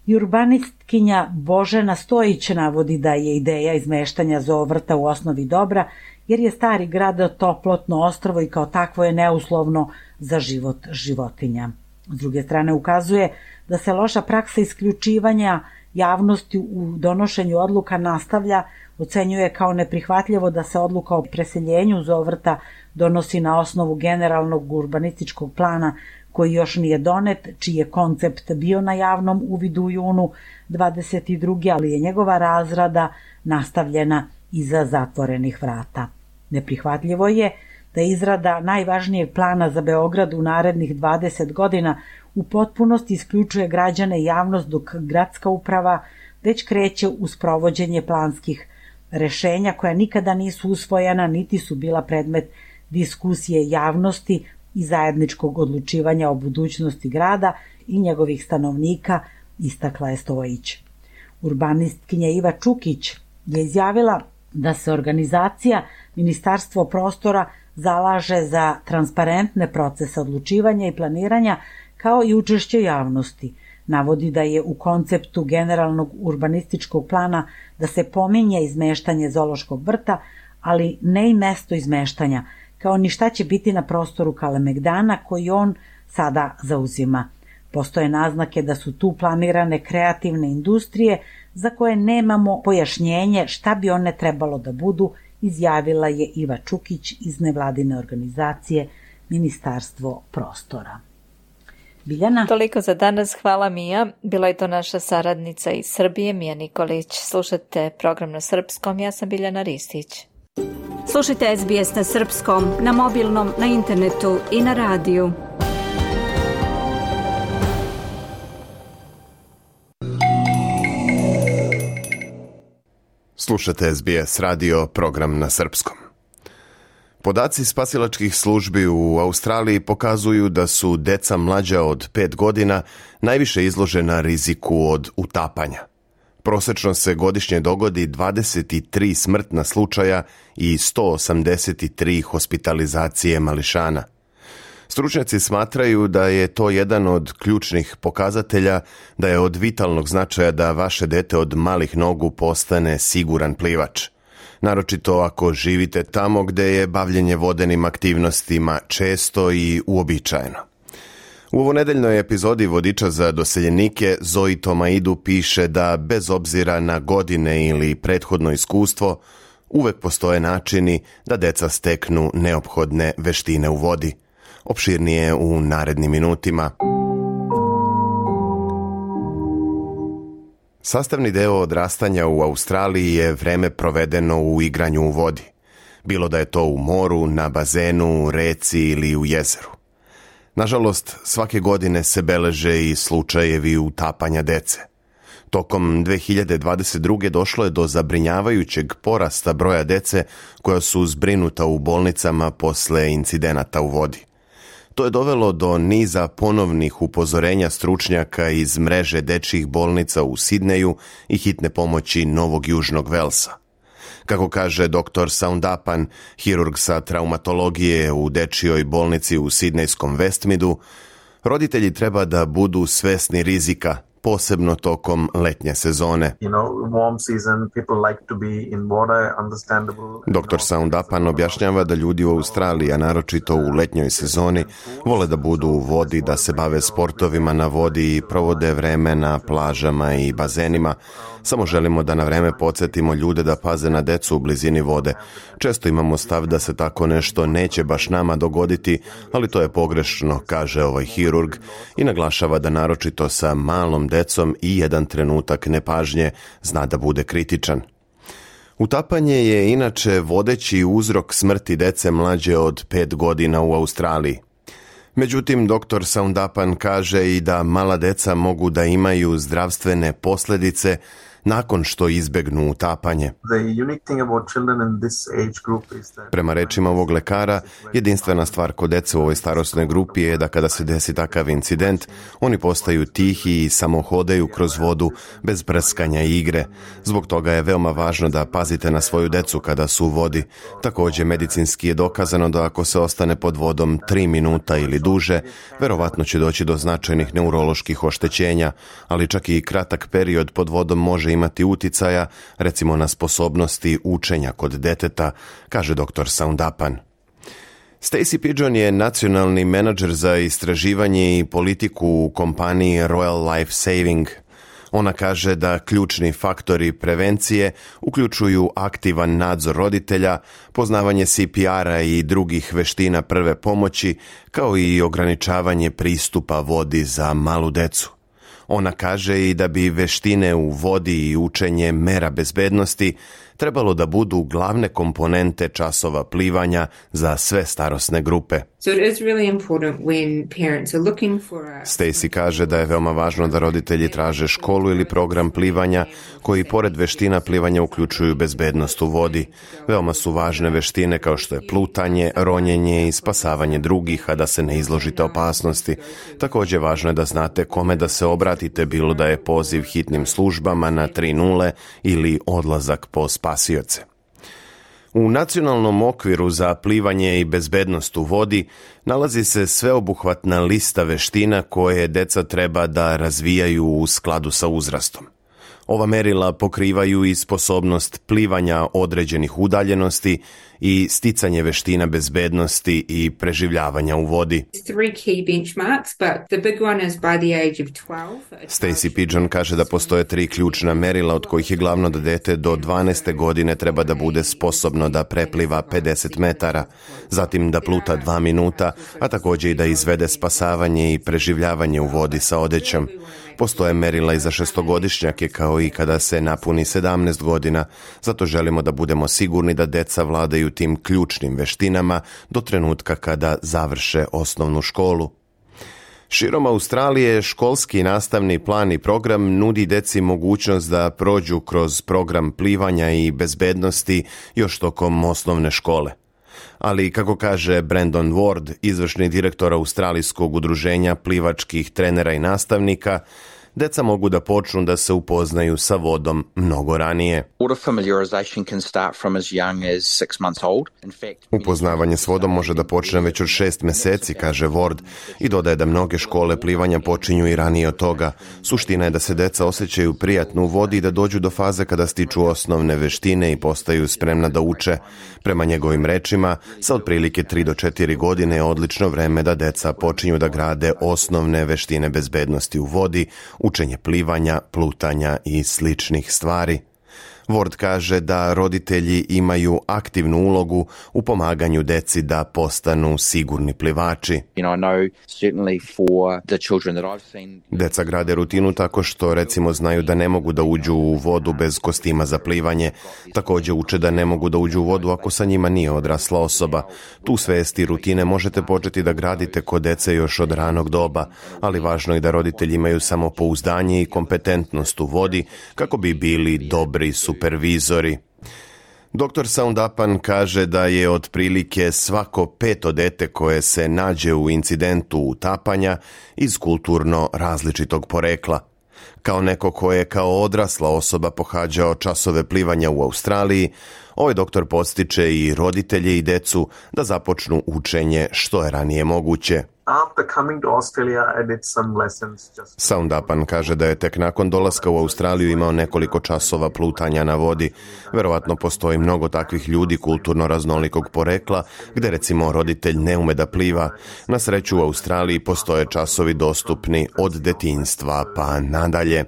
I urbanistkinja Božena Stojić navodi da je ideja izmeštanja zoovrta u osnovi dobra, jer je stari grad toplotno ostrvo i kao takvo je neuslovno za život životinja. S druge strane ukazuje da se loša praksa isključivanja javnosti u donošenju odluka nastavlja, ocenjuje kao neprihvatljivo da se odluka o preseljenju zoovrta donosi na osnovu generalnog urbanističkog plana koji još nije donet, čiji je koncept bio na javnom uvidu u junu dvadeset druge ali je njegova razrada nastavljena iza zatvorenih vrata. Neprihvatljivo je da izrada najvažnijeg plana za Beograd u narednih dvadeset godina u potpunosti isključuje građane i javnost, dok gradska uprava već kreće u sprovođenje planskih rešenja koja nikada nisu usvojena niti su bila predmet diskusije javnosti i zajedničkog odlučivanja o budućnosti grada i njegovih stanovnika, istakla je Stojić. Urbanistkinja Iva Čukić je izjavila da se organizacija Ministarstvo prostora zalaže za transparentne procese odlučivanja i planiranja kao i učešće javnosti. Navodi da je u konceptu generalnog urbanističkog plana da se pominje izmeštanje zoološkog vrta, ali ne i mesto izmeštanja, kao ni šta će biti na prostoru Kalemegdana koji on sada zauzima. Postoje naznake da su tu planirane kreativne industrije za koje nemamo pojašnjenje šta bi one trebalo da budu, izjavila je Iva Čukić iz nevladine organizacije Ministarstvo prostora. Biljana? Toliko za danas, hvala Mija. Bila je to naša saradnica iz Srbije, Mija Nikolić. Slušajte program na srpskom, ja sam Biljana Ristić. Slušajte S B S na srpskom, na mobilnom, na internetu i na radiju. Slušate S B S radio, program na srpskom. Podaci spasilačkih službi u Australiji pokazuju da su deca mlađa od pet godina najviše izložena riziku od utapanja. Prosečno se godišnje dogodi dvadeset tri smrtna slučaja i sto osamdeset tri hospitalizacije mališana. Stručnjaci smatraju da je to jedan od ključnih pokazatelja da je od vitalnog značaja da vaše dete od malih nogu postane siguran plivač. Naročito ako živite tamo gde je bavljenje vodenim aktivnostima često i uobičajeno. U ovonedeljnoj epizodi Vodiča za doseljenike Zoe Tomaidu piše da bez obzira na godine ili prethodno iskustvo, uvek postoje načini da deca steknu neophodne veštine u vodi. Opširnije u narednim minutima. Sastavni deo odrastanja u Australiji je vreme provedeno u igranju u vodi. Bilo da je to u moru, na bazenu, reci ili u jezeru. Nažalost, svake godine se beleže i slučajevi utapanja dece. Tokom dve hiljade dvadeset druge. došlo je do zabrinjavajućeg porasta broja dece koja su zbrinuta u bolnicama posle incidenata u vodi. To je dovelo do niza ponovnih upozorenja stručnjaka iz mreže dečjih bolnica u Sidneju i hitne pomoći Novog Južnog Velsa. Kako kaže doktor Soundapan, hirurg sa traumatologije u dečjoj bolnici u sidnejskom Westmeadu, roditelji treba da budu svesni rizika, posebno tokom letnje sezone. doktor Soundapan objašnjava da ljudi u Australiji, a naročito u letnjoj sezoni, vole da budu u vodi, da se bave sportovima na vodi i provode vreme na plažama i bazenima. Samo želimo da na vreme podsjetimo ljude da paze na decu u blizini vode. Često imamo stav da se tako nešto neće baš nama dogoditi, ali to je pogrešno, kaže ovaj hirurg i naglašava da naročito sa malom decom i jedan trenutak nepažnje zna da bude kritičan. Utapanje je inače vodeći uzrok smrti dece mlađe od pet godina u Australiji. Međutim, doktor Soundapan kaže i da mala deca mogu da imaju zdravstvene posljedice nakon što izbegnu utapanje. Prema rečima ovog lekara, jedinstvena stvar kod dece u ovoj starosnoj grupi je da kada se desi takav incident, oni postaju tihi i samo hodaju kroz vodu bez prskanja i igre. Zbog toga je veoma važno da pazite na svoju decu kada su u vodi. Također, medicinski je dokazano da ako se ostane pod vodom tri minuta ili duže, verovatno će doći do značajnih neuroloških oštećenja, ali čak i kratak period pod vodom može imati uticaja, recimo na sposobnosti učenja kod deteta, kaže doktor Soundapan. Stacey Pidgeon je nacionalni menadžer za istraživanje i politiku u kompaniji Royal Life Saving. Ona kaže da ključni faktori prevencije uključuju aktivan nadzor roditelja, poznavanje C P R-a i drugih veština prve pomoći, kao i ograničavanje pristupa vodi za malu decu. Ona kaže i da bi veštine u vodi i učenje mera bezbednosti trebalo da budu glavne komponente časova plivanja za sve starosne grupe. So it is really important when parents are looking for a... Stacy kaže da je veoma važno da roditelji traže školu ili program plivanja koji pored veština plivanja uključuju bezbednost u vodi. Veoma su važne veštine kao što je plutanje, ronjenje i spasavanje drugih, a da se ne izložite opasnosti. Također važno je da znate kome da se obratite, bilo da je poziv hitnim službama na tri nula ili odlazak po spasioce. U nacionalnom okviru za plivanje i bezbednost u vodi nalazi se sveobuhvatna lista veština koje deca treba da razvijaju u skladu sa uzrastom. Ova merila pokrivaju i sposobnost plivanja određenih udaljenosti i sticanje veština bezbednosti i preživljavanja u vodi. Stacy Pigeon kaže da postoje tri ključna merila, od kojih je glavno da dete do dvanaeste godine treba da bude sposobno da prepliva pedeset metara, zatim da pluta dva minuta, a također i da izvede spasavanje i preživljavanje u vodi sa odećom. Postoje merila i za šestogodišnjake kao i kada se napuni sedamnaest godina, zato želimo da budemo sigurni da deca vladaju tim ključnim veštinama do trenutka kada završe osnovnu školu. Širom Australije školski nastavni plan i program nudi deci mogućnost da prođu kroz program plivanja i bezbednosti još tokom osnovne škole. Ali, kako kaže Brandon Ward, izvršni direktor Australijskog udruženja plivačkih trenera i nastavnika, deca mogu da počnu da se upoznaju sa vodom mnogo ranije. Upoznavanje s vodom može da počne već od šest meseci, kaže Ward, i dodaje da mnoge škole plivanja počinju i ranije od toga. Suština je da se deca osjećaju prijatno u vodi i da dođu do faze kada stiču osnovne veštine i postaju spremna da uče. Prema njegovim rečima, sa otprilike tri do četiri godine je odlično vreme da deca počinju da grade osnovne veštine bezbednosti u vodi, učenje plivanja, plutanja i sličnih stvari. Ward kaže da roditelji imaju aktivnu ulogu u pomaganju deci da postanu sigurni plivači. Deca grade rutinu tako što recimo znaju da ne mogu da uđu u vodu bez kostima za plivanje. Također uče da ne mogu da uđu u vodu ako sa njima nije odrasla osoba. Tu svesti rutine možete početi da gradite kod dece još od ranog doba, ali važno je da roditelji imaju samopouzdanje i kompetentnost u vodi kako bi bili dobri supervizori. doktor Soundapan kaže da je otprilike svako peto dete koje se nađe u incidentu utapanja iz kulturno različitog porekla. Kao neko ko je kao odrasla osoba pohađao časove plivanja u Australiji, ovaj doktor podstiče i roditelje i decu da započnu učenje što je ranije moguće. Soundapan kaže da je tek nakon dolaska u Australiju imao nekoliko časova plutanja na vodi. Verovatno postoji mnogo takvih ljudi kulturno raznolikog porekla, gde recimo roditelj ne ume da pliva. Na sreću u Australiji postoje časovi dostupni od detinjstva pa nadalje.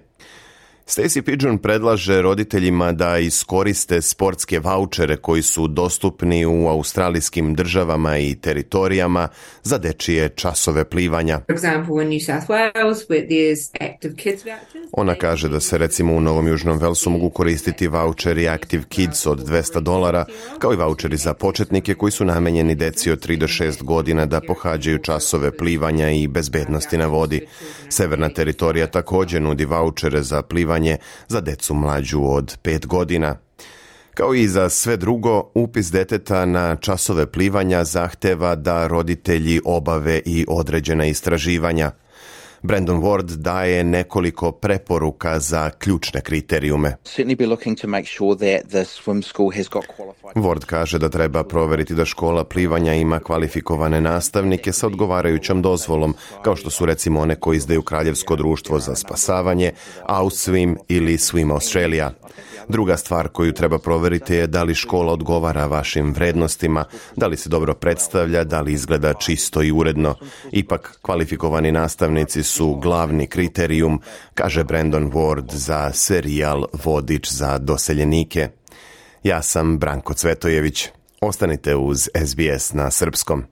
Stacy Pigeon predlaže roditeljima da iskoriste sportske vaučere koji su dostupni u australijskim državama i teritorijama za dečije časove plivanja. Ona kaže da se recimo u Novom Južnom Velsu mogu koristiti vaučeri Active Kids od dvesta dolara, kao i vaučeri za početnike koji su namenjeni deci od tri do šest godina da pohađaju časove plivanja i bezbednosti na vodi. Severna teritorija također nudi vaučere za plivanje za decu mlađu od pet godina. Kao i za sve drugo, upis deteta na časove plivanja zahteva da roditelji obave i određena istraživanja. Brandon Ward daje nekoliko preporuka za ključne kriterijume. Ward kaže da treba proveriti da škola plivanja ima kvalifikovane nastavnike sa odgovarajućom dozvolom, kao što su recimo one koji izdaju Kraljevsko društvo za spasavanje, Ausswim ili Swim Australia. Druga stvar koju treba proveriti je da li škola odgovara vašim vrednostima, da li se dobro predstavlja, da li izgleda čisto i uredno. Ipak, kvalifikovani nastavnici su glavni kriterijum, kaže Brandon Ward za serijal Vodič za doseljenike. Ja sam Branko Cvetojević. Ostanite uz S B S na srpskom.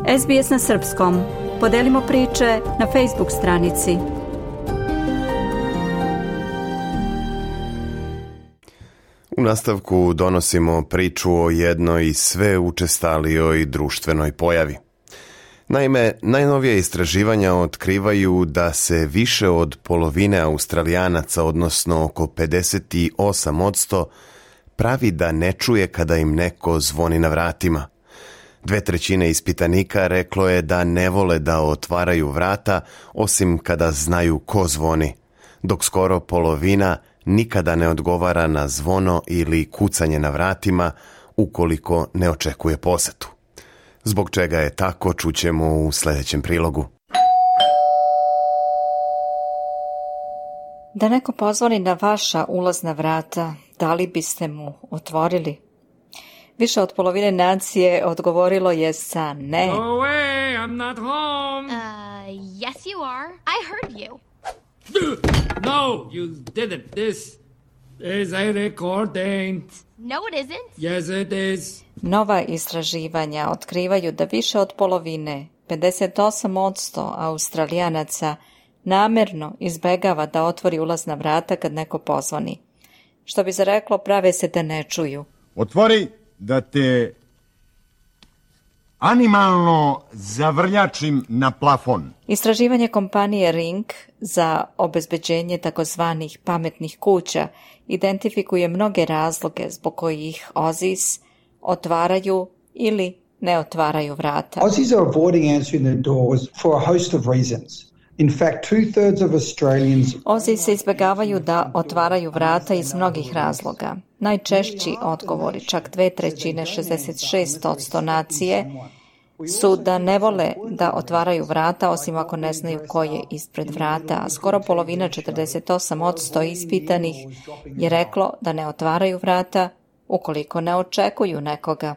S B S na srpskom. Podelimo priče na Facebook stranici. U nastavku donosimo priču o jednoj sve učestalijoj društvenoj pojavi. Naime, najnovije istraživanja otkrivaju da se više od polovine Australijanaca, odnosno oko pedeset osam posto, pravi da ne čuje kada im neko zvoni na vratima. Dve trećine ispitanika reklo je da ne vole da otvaraju vrata, osim kada znaju ko zvoni, dok skoro polovina nikada ne odgovara na zvono ili kucanje na vratima ukoliko ne očekuje posetu. Zbog čega je tako, čućemo u sljedećem prilogu. Da neko pozvoni na vaša ulazna vrata, da li biste mu otvorili? Više od polovine nacije odgovorilo je sa ne. Go away, I'm not home. Uh, yes you are. I heard you. No, you didn't. This is a recording. No, it isn't. Yes, it is. Nova istraživanja otkrivaju da više od polovine, pedeset osam posto Australijanaca, namerno izbegava da otvori ulazna vrata kad neko pozvoni. Što bi se reklo, prave se da ne čuju. Otvori da te animalno zavrljačim na plafon. Istraživanje kompanije Ring za obezbeđenje takozvanih pametnih kuća identifikuje mnoge razloge zbog kojih Aussies otvaraju ili ne otvaraju vrata. Aussies are avoiding answering their doors for a host of reasons. In fact, two-thirds of Australians... Aussies se izbjegavaju da otvaraju vrata iz mnogih razloga. Najčešći odgovori, čak dve trećine, šezdeset šest posto nacije, su da ne vole da otvaraju vrata, osim ako ne znaju ko je ispred vrata, a skoro polovina, četrdeset osam posto ispitanih, je reklo da ne otvaraju vrata ukoliko ne očekuju nekoga.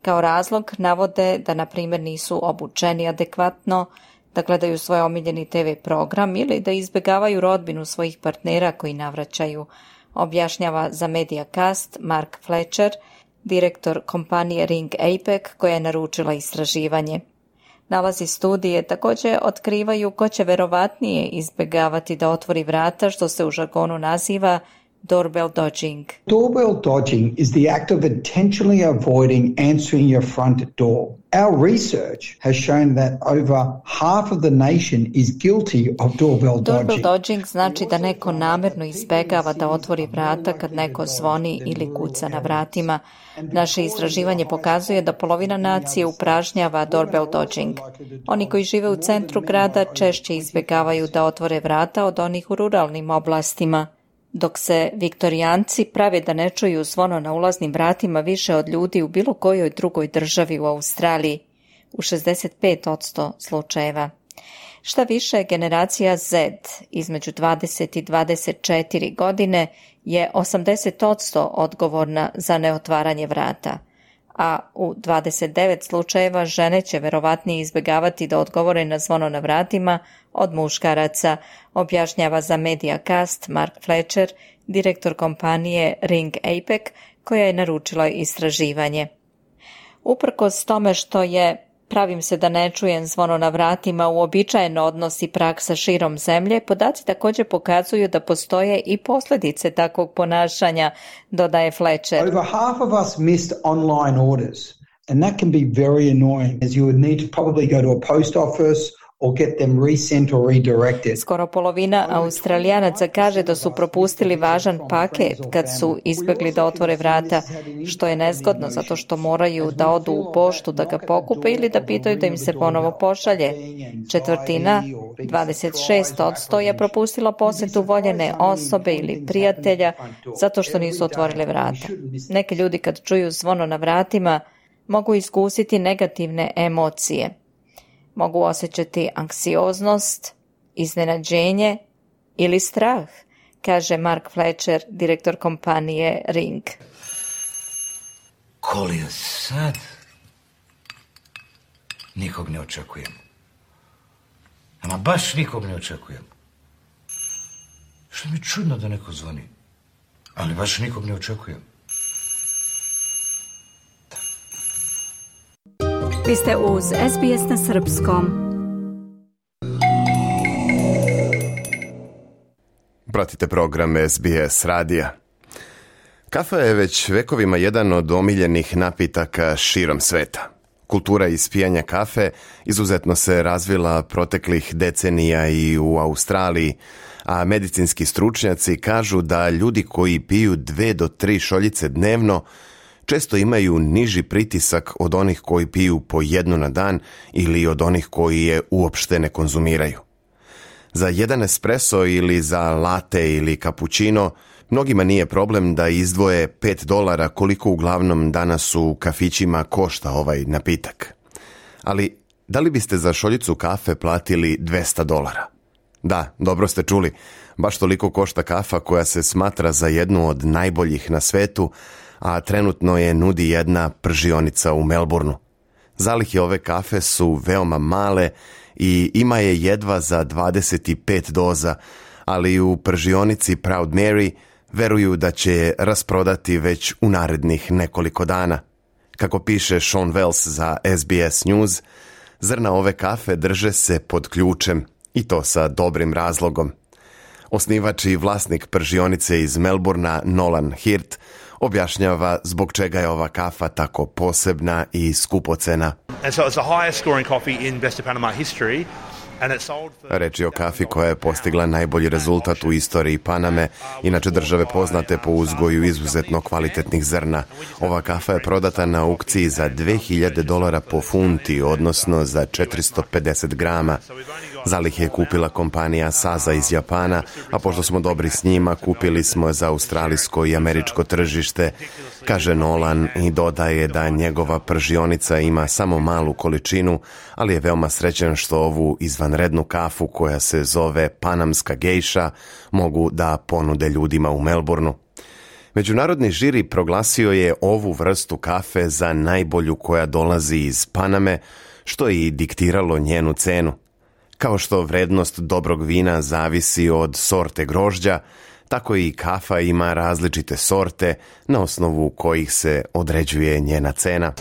Kao razlog navode da, na primjer, nisu obučeni adekvatno, da gledaju svoj omiljeni te ve program ili da izbjegavaju rodbinu svojih partnera koji navraćaju, objašnjava za Mediacast Mark Fletcher, direktor kompanije Ring A P E C koja je naručila istraživanje. Nalazi studije također otkrivaju ko će verovatnije izbjegavati da otvori vrata, što se u žargonu naziva doorbell dodging. Doorbell dodging is the act of intentionally avoiding answering your front door. Our research has shown that over half of the nation is guilty of doorbell dodging. Doorbell dodging znači da neko namjerno izbegava da otvori vrata kad neko zvoni ili kuca na vratima. Naše istraživanje pokazuje da polovina nacije upražnjava doorbell dodging. Oni koji žive u centru grada češće izbjegavaju da otvore vrata od onih u ruralnim oblastima. Dok se Viktorijanci prave da ne čuju zvono na ulaznim vratima više od ljudi u bilo kojoj drugoj državi u Australiji, u šezdeset pet posto slučajeva. Šta više, generacija Z između dvadeset i dvadeset četiri godine je osamdeset posto odgovorna za neotvaranje vrata, a u dvadeset devet slučajeva žene će verovatnije izbjegavati da odgovore na zvono na vratima od muškaraca, objašnjava za Mediacast Mark Fletcher, direktor kompanije Ring A P E C koja je naručila istraživanje. Uprkos tome što je pravim se da ne čujem zvono na vratima uobičajen odnos i praksa širom zemlje, podaci također pokazuju da postoje i posljedice takvog ponašanja, dodaje Fletcher. Over half of us missed online orders, and that can be very annoying, as you would need to probably go to a post office or get them resent or redirected. Skoro polovina Australijanaca kaže da su propustili važan paket kad su izbjegli da otvore vrata, što je nezgodno zato što moraju da odu u poštu da ga pokupe ili da pitaju da im se ponovo pošalje. Četvrtina, dvadeset šest posto, je propustila posjetu voljene osobe ili prijatelja zato što nisu otvorile vrata. Neki ljudi kad čuju zvono na vratima mogu iskusiti negativne emocije. Mogu osjećati anksioznost, iznenađenje ili strah, kaže Mark Fletcher, direktor kompanije Ring. Koli je sad? Nikog ne očekujem. Ama baš nikog ne očekujem. Što mi je čudno da neko zvoni, ali baš nikog ne očekujem. Vi ste uz es be es na srpskom. Pratite program es be es radija. Kafa je već vekovima jedan od omiljenih napitaka širom sveta. Kultura ispijanja kafe izuzetno se razvila proteklih decenija i u Australiji, a medicinski stručnjaci kažu da ljudi koji piju dve do tri šoljice dnevno često imaju niži pritisak od onih koji piju po jednu na dan ili od onih koji je uopšte ne konzumiraju. Za jedan espresso ili za latte ili cappuccino mnogima nije problem da izdvoje pet dolara koliko uglavnom danas u kafićima košta ovaj napitak. Ali da li biste za šoljicu kafe platili dvesta dolara? Da, dobro ste čuli, baš toliko košta kafa koja se smatra za jednu od najboljih na svetu, a trenutno je nudi jedna pržionica u Melbourneu. Zalihe ove kafe su veoma male i ima je jedva za dvadeset pet doza, ali u pržionici Proud Mary veruju da će je rasprodati već u narednih nekoliko dana. Kako piše Sean Wells za S B S News, zrna ove kafe drže se pod ključem i to sa dobrim razlogom. Osnivač i vlasnik pržionice iz Melbournea Nolan Hirt objašnjava zbog čega je ova kafa tako posebna i skupocena. And so it's the highest scoring coffee in West Panama history. Reč je o kafi koja je postigla najbolji rezultat u istoriji Paname, inače države poznate po uzgoju izuzetno kvalitetnih zrna. Ova kafa je prodata na aukciji za dve hiljade dolara po funti, odnosno za četiristo pedeset grama. Zalihe je kupila kompanija Sasa iz Japana, a pošto smo dobri s njima, kupili smo za australijsko i američko tržište, kaže Nolan i dodaje da njegova pržionica ima samo malu količinu, ali je veoma srećan što ovu izvanrednu kafu koja se zove panamska gejša mogu da ponude ljudima u Melbourneu. Međunarodni žiri proglasio je ovu vrstu kafe za najbolju koja dolazi iz Paname, što je i diktiralo njenu cenu. Kao što vrednost dobrog vina zavisi od sorte grožđa, tako i kafa ima različite sorte na osnovu kojih se određuje njena cena.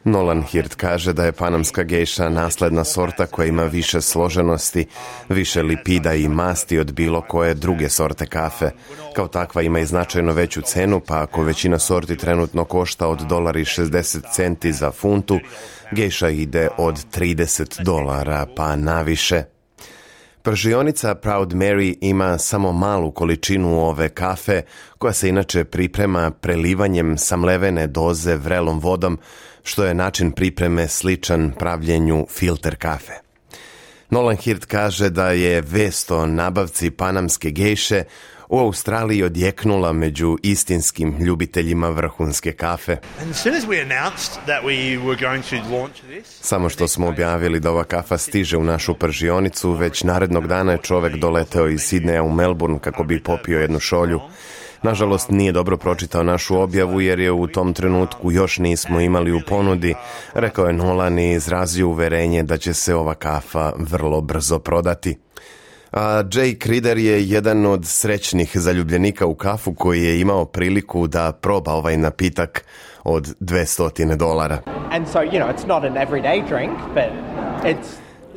Nolan Hirt kaže da je panamska gejša nasledna sorta koja ima više složenosti, više lipida i masti od bilo koje druge sorte kafe. Kao takva ima i značajno veću cenu, pa ako većina sorti trenutno košta od dolar i šezdeset centi za funtu, gejša ide od trideset dolara pa naviše. Pržionica Proud Mary ima samo malu količinu ove kafe, koja se inače priprema prelivanjem samlevene doze vrelom vodom, što je način pripreme sličan pravljenju filter kafe. Nolan Hirt kaže da je vest o nabavci panamske gejše u Australiji odjeknula među istinskim ljubiteljima vrhunske kafe. Samo što smo objavili da ova kafa stiže u našu pržionicu, već narednog dana je čovek doleteo iz Sidneja u Melbourne kako bi popio jednu šolju. Nažalost, nije dobro pročitao našu objavu jer je u tom trenutku još nismo imali u ponudi, rekao je Nolan i izrazio uverenje da će se ova kafa vrlo brzo prodati. A Jay Crider je jedan od srećnih zaljubljenika u kafu koji je imao priliku da proba ovaj napitak od dvesta dolara. And so, you know, it's not an everyday drink, but it's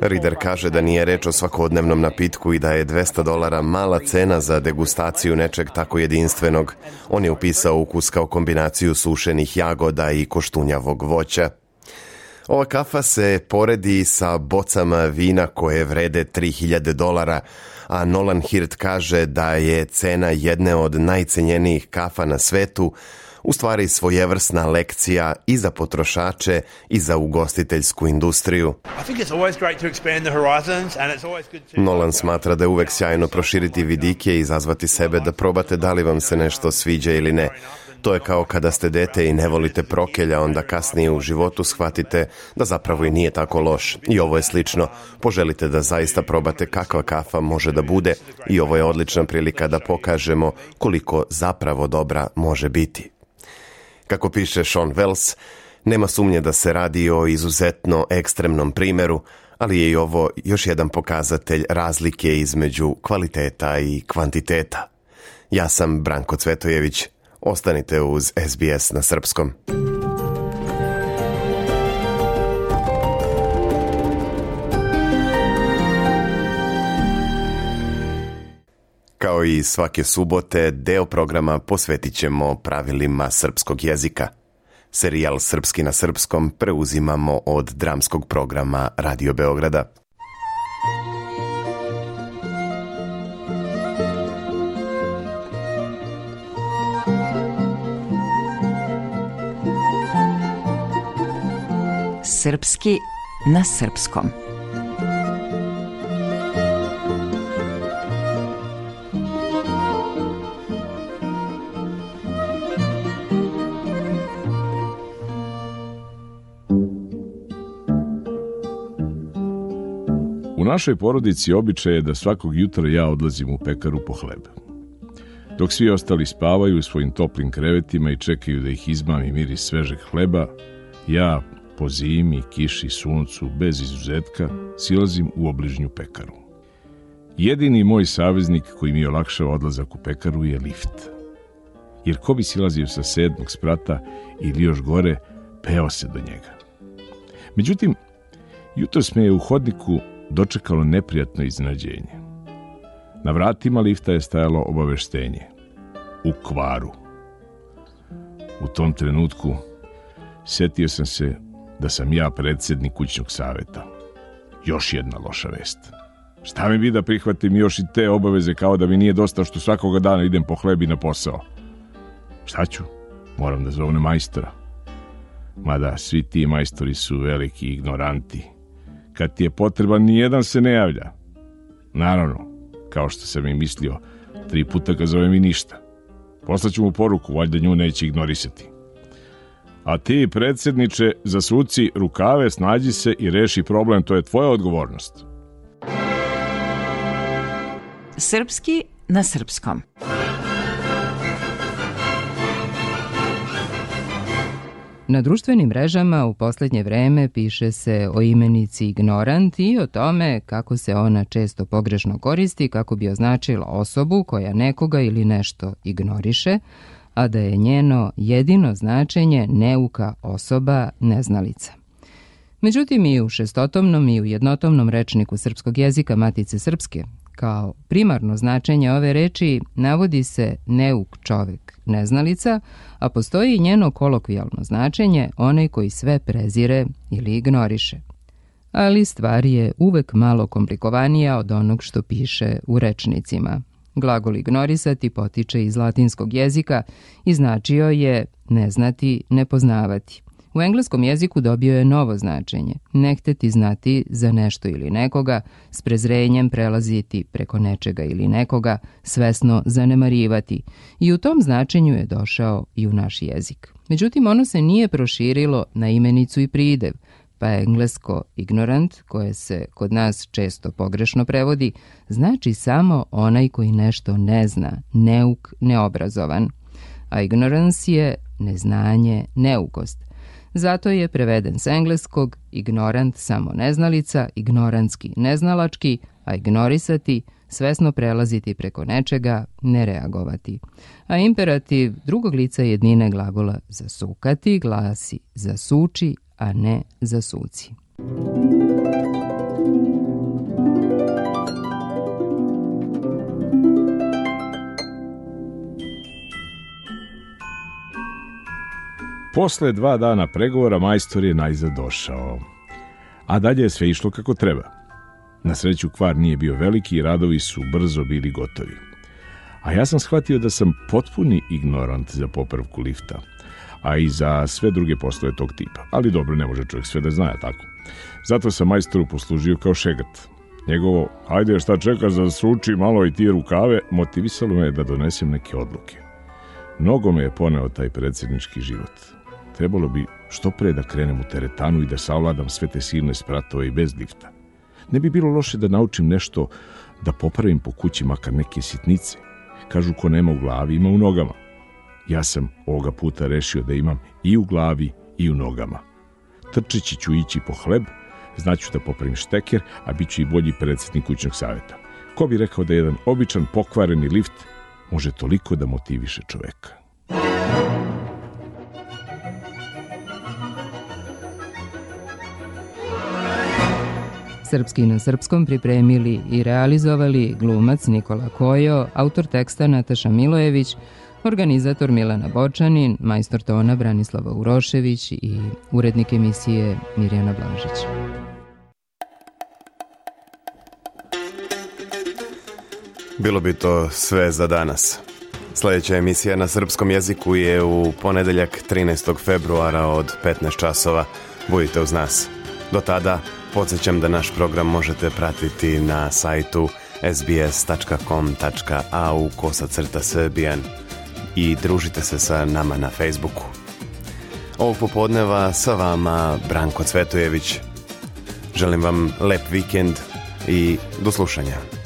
Rider kaže da nije reč o svakodnevnom napitku i da je dvesta dolara mala cena za degustaciju nečeg tako jedinstvenog. On je upisao ukus kao kombinaciju sušenih jagoda i koštunjavog voća. Ova kafa se poredi sa bocama vina koje vrede tri hiljade dolara, a Nolan Hirt kaže da je cena jedne od najcenjenijih kafa na svetu u stvari svojevrsna lekcija i za potrošače i za ugostiteljsku industriju. Nolan smatra da je uvek sjajno proširiti vidike i izazvati sebe da probate da li vam se nešto sviđa ili ne. To je kao kada ste dete i ne volite prokelja, onda kasnije u životu shvatite da zapravo i nije tako loš. I ovo je slično. Poželite da zaista probate kakva kafa može da bude i ovo je odlična prilika da pokažemo koliko zapravo dobra može biti. Kako piše Sean Wells, nema sumnje da se radi o izuzetno ekstremnom primjeru, ali je i ovo još jedan pokazatelj razlike između kvaliteta i kvantiteta. Ja sam Branko Cvetojević. Ostanite uz S B S na srpskom. Kao i svake subote, deo programa posvetit ćemo pravilima srpskog jezika. Serijal Srpski na srpskom preuzimamo od dramskog programa Radio Beograda. Srpski na srpskom. U našoj porodici običaj je da svakog jutra ja odlazim u pekaru po hleb. Dok svi ostali spavaju u svojim toplim krevetima i čekaju da ih izmami miris svežeg hleba, ja po zimi, kiši, suncu, bez izuzetka, silazim u obližnju pekaru. Jedini moj saveznik koji mi olakšava odlazak u pekaru je lift. Jer ko bi silazio sa sedmog sprata ili još gore, peo se do njega. Međutim, jutros me je u hodniku dočekalo neprijatno iznenađenje. Na vratima lifta je stajalo obaveštenje. U kvaru. U tom trenutku setio sam se da sam ja predsjednik kućnog saveta. Još jedna loša vest. Šta mi bi da prihvatim još i te obaveze kao da mi nije dosta što svakoga dana idem po hlebi na posao? Šta ću? Moram da zovem majstora. Mada svi ti majstori su veliki ignoranti. Kad ti je potreban, nijedan se ne javlja. Naravno, kao što sam i mislio, tri puta ga zovem i ništa. Poslaću mu poruku, valjda nju neće ignorisati. A ti, predsjedniče, zasuci rukave, snađi se i reši problem, to je tvoja odgovornost. Srpski na srpskom. Na društvenim mrežama u posljednje vreme piše se o imenici ignorant i o tome kako se ona često pogrešno koristi kako bi označila osobu koja nekoga ili nešto ignoriše, a da je njeno jedino značenje neuka osoba, neznalica. Međutim, i u šestotomnom i u jednotomnom rečniku srpskog jezika Matice Srpske, kao primarno značenje ove reči navodi se neuk čovek, neznalica, a postoji i njeno kolokvijalno značenje, onaj koji sve prezire ili ignoriše. Ali stvar je uvek malo komplikovanija od onog što piše u rečnicima. Glagol ignorisati potiče iz latinskog jezika i značio je neznati, nepoznavati. U engleskom jeziku dobio je novo značenje, ne hteti znati za nešto ili nekoga, s prezrenjem prelaziti preko nečega ili nekoga, svesno zanemarivati. I u tom značenju je došao i u naš jezik. Međutim, ono se nije proširilo na imenicu i pridev, pa englesko ignorant, koje se kod nas često pogrešno prevodi, znači samo onaj koji nešto ne zna, neuk, neobrazovan. A ignorance je neznanje, neukost. Zato je preveden s engleskog ignorant samo neznalica, ignorantski neznalački, a ignorisati svesno prelaziti preko nečega, ne reagovati. A imperativ drugog lica jednine glagola zasukati glasi zasuči, a ne zasuci. Posle dva dana pregovora majstor je najzad došao, a dalje je sve išlo kako treba. Na sreću kvar nije bio veliki i radovi su brzo bili gotovi. A ja sam shvatio da sam potpuni ignorant za popravku lifta, a i za sve druge poslove tog tipa. Ali dobro, ne može čovjek sve da zna, tako. Zato sam majstoru poslužio kao šegat. Njegovo, hajde šta čekaš da suči malo i ti rukave, motivisalo me da donesem neke odluke. Mnogo me je poneo taj predsjednički život. Trebalo bi što pre da krenem u teretanu i da savladam sve te silne spratove i bez lifta. Ne bi bilo loše da naučim nešto da popravim po kući, makar neke sitnice. Kažu ko nema u glavi, ima u nogama. Ja sam ovoga puta rešio da imam i u glavi i u nogama. Trčeći ću ići po hleb, znaću da popravim šteker, a bit ću i bolji predsjednik kućnog savjeta. Ko bi rekao da jedan običan pokvareni lift može toliko da motiviše čoveka? Srpski na srpskom pripremili i realizovali glumac Nikola Kojo, autor teksta Nataša Milojević, organizator Milana Bočanin, majstor tona Branislava Urošević i urednik emisije Mirjana Blažić. Bilo bi to sve za danas. Sljedeća emisija na srpskom jeziku je u ponedeljak trinaestog februara od petnaest časova. Budite uz nas. Do tada podsjećam da naš program možete pratiti na sajtu es bi es tačka com tačka a u kosacrta srbijan i družite se sa nama na Facebooku. Ovog popodneva sa vama Branko Cvetojević. Želim vam lep vikend i do slušanja.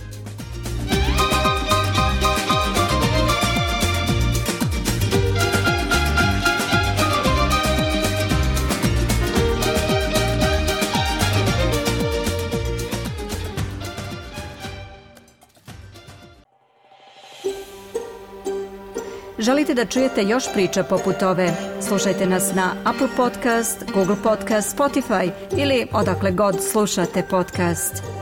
Želite da čujete još priča poput ove? Slušajte nas na Apple Podcast, Google Podcast, Spotify ili odakle god slušate podcast.